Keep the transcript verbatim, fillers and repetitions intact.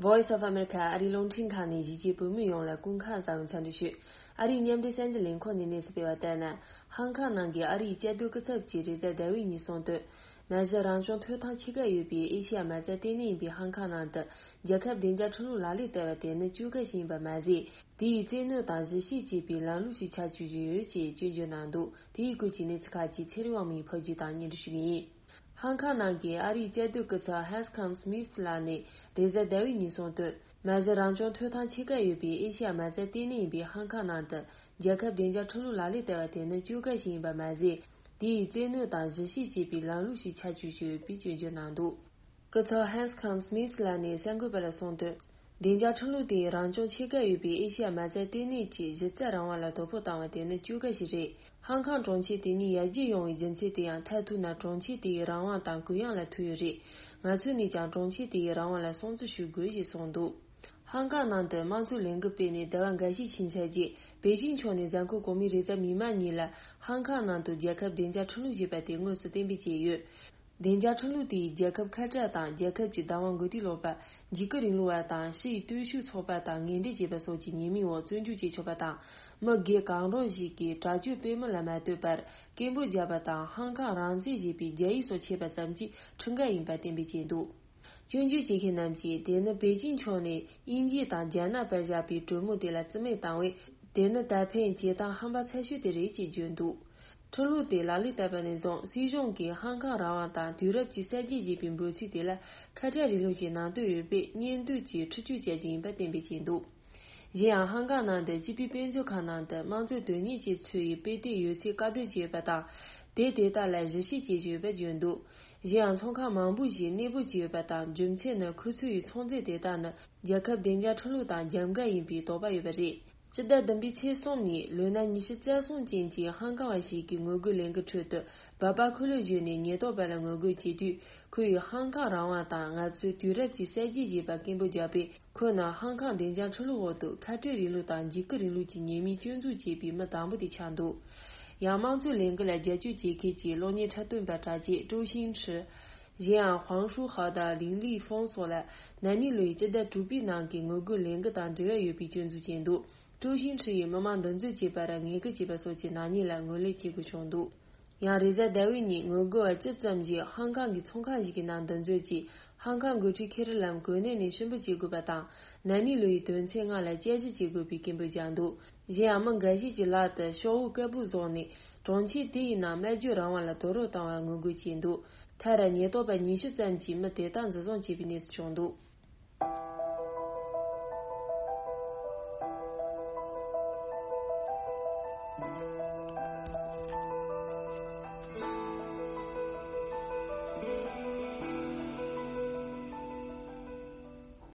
Voice of America ཨ་རིའི་རླུང་འཕྲིན་ཁང་ནས་གཞིས་བྱེས་བོད་མི་ཡོངས་ལ་སྐུ་ཁམས་བཟང་བའི་འཚམས་འདྲི་ཞུ། ཨ་རིའི་མཉམ་འབྲེལ་གསར་འགྱུར་ལས་ཁུངས་ནས་གནས་ཚུལ་སྤེལ་བ་ལྟར་ན། ཧང་ཀང་ནང་གི་ཨ་རིའི་བཅའ་སྡོད་སྐུ་ཚབ་ཀྱིས་རེས་གཟའ་ཟླ་བའི་ཉིན་གསུངས་དོན། མ་གཞི་རང་སྐྱོང་ཐོབ་ཐང་ཆེ་ཁག་ཡོད་པའི་ཨེ་ཤེ་ཡ་མ་རྩའི་ལྟེ་གནས་ཡིན་པའི་ཧང་ཀང་ནང་དུ་རྒྱལ་ཁབ་བདེ་འཇགས་ཁྲིམས་ལུགས་ལག་ལེན་བསྟར་བ་དེ་ནི་བཅོས་དཀའ་ཞིག་ཡིན་པ་མ་ཟད། དེ་ཡིས་བཙན་གནོན་དང་གཞི་བྱེས་བཅས་པའི་ལམ་ལུགས་ཤིག་ཆགས་བཅུག་བཞིན་ཡོད་ཅེས་སྐྱོན་བརྗོད་གནང་འདུག་དེའི་སྐོར་གྱི་གནས་ཚུལ་ཁག་ཅིག་ཚེ་རིང་དབང་མོས་ཕབ་སྒྱུར་དང་སྙན་སྒྲོན་ཞུ་གི་ཡིན། ཧང་ཀང་ནང་གི་ཨ་རིའི་བཅའ་སྡོད་སྐུ་ཚབ་ཧན་སི་ཁང་སྨིད་ལགས་ནས་རེས་གཟའ་ཟླ་བའི་ཉིན་གསུངས་དོན། མ་གཞི་རང་སྐྱོང་ཐོབ་ཐང་ཆེ་ཁག་ཡོད་པའི་ཨེ་ཤེ་ཡ་མ་རྩའི་ལྟེ་གནས་ཡིན་པའི་ཧང་ཀང་ནང་དུ་རྒྱལ་ཁབ་བདེ་འཇགས་ཁྲིམས་ལུགས་ལག་ལེན་བསྟར་བ་དེ་ནི་བཅོས་དཀའ་ཞིག་ཡིན་པ་མ་ཟད། དེ་ཡིས་བཙན་གནོན་དང་གཞི་བྱེས་བཅས་པའི་ལམ་ལུགས་ཤིག་ཆགས་བཅུག་བཞིན་ཡོད་པའི་སྐྱོན་བརྗོད་གནང་འདུག་སྐུ་ཚབ་ཧན་སི་ཁང་སྨིད་ལགས་ནས་གསར་འགོད་པ་ལ་གསུངས་དོན། བདེ་འཇགས་ཁྲིམས་ལུགས་དེ་ཡིས་རང་སྐྱོང་ཆེ་ཁག་ཡོད་པའི་ཨེ་ཤེ་ཡ་མ་རྩའི་ལྟེ་གནས་ཀྱི་གཞི་རྩའི་རང་དབང་ལ་དོ་ཕོག་བཏང་བ་དེ་ནི་བཅོས་དཀའ་ཞིག་རེད། ཧང་ཀང་གྲོང་ཁྱེར་དེ་ཉིད་ཡར་རྒྱས་ཡོང་བའི་རྒྱུ་མཚན་དེ་ཡང་མཐར་ཐུག་ན་གྲོང་ཁྱེར་དེའི་རང་དབང་དང་གུ་ཡངས་ལ་ཐུག་ཡོད་རེད། ང་ཚོ་ནས་ཀྱང་གྲོང་ཁྱེར་དེའི་རང་དབང་ལ་སྲུང་བརྩི་ཞུ་དགོས་ཞེས་གསུངས་འདུག་ཧང་ཀང་ནང་དུ་དམངས་གཙོའི་ལས་འགུལ་སྤེལ་ནས་ཟླ་བ་འགའ་ཤས་ཕྱིན་ཚར་རྗེས། པེ་ཅིང་ཕྱོགས་ནས་གཟའ་འཁོར་གོང་མའི་རེས་གཟའ་མིག་དམར་ཉིན་ལ་ཧང་ཀང་ནང་དུ་རྒྱལ་ཁབ་བདེ་འཇགས་ཁྲིམས་ལུགས་ཞེས་པ་དེ་དངོས་སུ་གཏན་འབེབས་བྱས་ཡོད། བདེ་འཇགས་ཁྲིམས་ལུགས་དེས་རྒྱལ་ཁབ་ཁ་བྲལ་དང་རྒྱལ་ཁབ་ཀྱི་བདག་དབང་འགུག་ཐབས་ལོག་པ། འཇིགས་སྐུལ་རིང་ལུགས་པ་དང་ཕྱི་ཡི་སྟོབས་ཤུགས་ཚོགས་པ་དང་ངན་འབྲེལ་བྱེད་པ་སོགས་ཀྱི་ཉེས་མིང་འོག་བཙོན་འཇུག་བྱེད་ཆོག་པ་དང་། མི་སྒེར་གང་རུང་ཞིག་གིས་དྲག་སྤྱོད་སྤེལ་མིན་ལ་མ་ལྟོས་པར་སྐད་འབོད་བརྒྱབ་པ་དང་ཧང་ཀང་རང་བཙན་ཞེས་པའི་རྒྱ་ཡིག་སོགས་ཆད་པ་ཙམ་གྱིས་ཁྲིམས་འགལ་ཡིན་པ་གཏན་འབེབས་བྱས་འདུག་སྐྱོན་བརྗོད་བྱེད་མཁན་རྣམས་ཀྱིས་དེ་ནི་པེ་ཅིང་ཕྱོགས་ནས་དབྱིན་ཇི་དང་རྒྱ་ནག་བར་བཞག་པའི་གྲོས་མོལ་དེ་ལ་རྩིས་མེད་བཏང་བས། དེ་ནི་ད་ཕན་བྱེད་སྟངས་ཧམ་པ་ཚ་ཤོས་དེ་རེད་ཅེས་བརྗོད་འདུག་ཁྲིམས་ལུགས་དེ་ལག་ལེན་བསྟར་བ་ནས་བཟུང་སྲིད་གཞུང་གིས་ཧང་ཀང་རང་དབང་དང་དུས་རབས་ཀྱི་གསར་བརྗེ་ཞེས་པའི་འབོད་ཚིག་དེ་ལ་ཁ་བྲལ་རིང་ལུགས་ཀྱི་ནང་དོན་ཡོད་པས་གཉེན་སྡུག་གིས་འཁྲིག་སྤྱོད་བྱ་རྒྱུ་ཡིན་པ་གཏན་འབེབས་བྱས་འདུག་གཞན་ཡང་ཧང་ཀང་ནང་དུ་སྤྱི་པའི་དཔེ་མཛོད་ཁང་ནང་དུ་དམངས་གཙོའི་དོན་གཉེར་ཅན་ཚོ་ཡི་དཔེ་དེབ་ཡོད་ཚད་བཀག་སྡོམ་བྱས་ཡོད་པ་དང་། དེ་དེ་དག་ལ་གཞི་བྱེས་བྱས་ཡོད་པ་བརྗོད་འདུག་གཞན་ཡང་ཚོང་ཁང་མང་པོ་ཞིག་གནས་སྤོ་བྱས་ཡོད་པ་དང་། རྒྱུ་མཚན་ནི་ཁོ་ཚོ་ཡི་ཚོང་རྫས་དེ་དག་ནི་རྒྱལ་ཁབ་བདེ་འཇགས་ཁྲིམས་ལུགས་དང་རྒྱབ་འགལ་ཡིན་པའི་དོགས་པ་ཡོད་པ་རེད། སྤྱི་ཟླ་བདུན་པའི་ཚེས་གསུམ་ཉིན་ལོ་ན་ཉི་ཤུ་རྩ་གསུམ་ཅན་གྱི་ཧང་ཀང་བ་ཞིག་གིས་ངོ་རྒོལ་ལས་འགུལ་ཁྲོད་དུ་སྦག་སྦག་ཁུ་ལུ་བཞོན་ནས་ཉེན་རྟོག་པ་ལ་ངོ་རྒོལ་བྱེད་དུས། ཁོ་ཡིས་ཧང་ཀང་རང་དབང་དང་ང་ཚོའི་དུས་རབས་ཀྱི་གསར་བརྗེ་ཞེས་པ་སྐད་འབོད་བརྒྱབ་པས། ཁོ་ནི་ཧང་ཀང་བདེ་འཇགས་ཁྲིམས་ལུགས་འོག་ཏུ་ཁ་བྲལ་རིང་ལུགས་དང་འཇིགས་སྐུལ་རིང་ལུགས་ཀྱི་ཉེས་མིང་སྐྱོན་འཛུགས་བྱས་པའི་མི་དང་པོ་དེ་ཆགས་འདུག་ཡང་དམངས་གཙོའི་ལས་འགུལ་ལ་རྒྱབ་སྐྱོར་བྱེད་མཁན་གྱི་གློག་བརྙན་འཁྲབ་སྟོན་པ་གྲགས་ཅན་ཀྲུའུ་ཤིང་ཁྲི། གཞན་ཡང་ཧུང་ཧྲུའུ་ཧའོ་དང་ལིང་ལི་ཧྥུང་སོགས་ལ་ན་ནིང་ལོ་ཡི་སྤྱི་ཟླ་དྲུག་པའི་ནང་གི་ངོ་རྒོལ་ལས་འགུལ་དང་འབྲེལ་བ་ཡོད་པའི་སྐྱོན་འཛུགས་བྱས་འདུག་ཀྲུའུ་ཤིང་ཁྲི་ཡིས་མི་མང་འདུ་འཛོམས་བྱེད་པར་ངན་སྐུལ་བྱས་པ་སོགས་ཀྱི་ནག་ཉེས་ལ་ངོས་ལེན་བྱེད་དགོས་བྱུང་འདུག་ཡང་རེས་གཟའ་ཟླ་བའི་ཉིན་ངོ་རྒོལ་བ་བཅུ་ཙམ་ཞིག་ཧང་ཀང་གི་ཚོང་ཁང་ཞིག་གི་ནང་འདུ་འཛོམས་ཀྱིས། ཧང་ཀང་འགོ་ཁྲིད་ཁེ་རི་ལམ་གོ་གནས་ནས་ཕྱིར་འབུད་བྱེད་དགོས་པ་དང་། ན་ནིང་ལོ་ཡི་དོན་ཚན་ལྔ་ལ་བསྐྱར་ཞིབ་བྱེད་དགོས་པའི་སྐད་འབོད་བརྒྱབ་འདུག་གཞན་ཡང་མི་འགའ་ཤས་ཀྱི་ལག་ཏུ་ཤོག་འོག་དཀར་པོ་བཟུང་ནས། གྲོང་ཁྱེར་དེ་ཡི་ནང་སྨྲ་བརྗོད་རང་དབང་ལ་དོགས་རོགས་བཏང་བར་ངོ་རྒོལ་བྱས་འདུག་མཐར་ཉེན་རྟོག་པ་ཉི་ཤུ་ཙམ་གྱིས་མི་དེ་དག་འཛིན་བཟུང་བྱས་པའི་གནས་ཚུལ་བྱུང་འདུག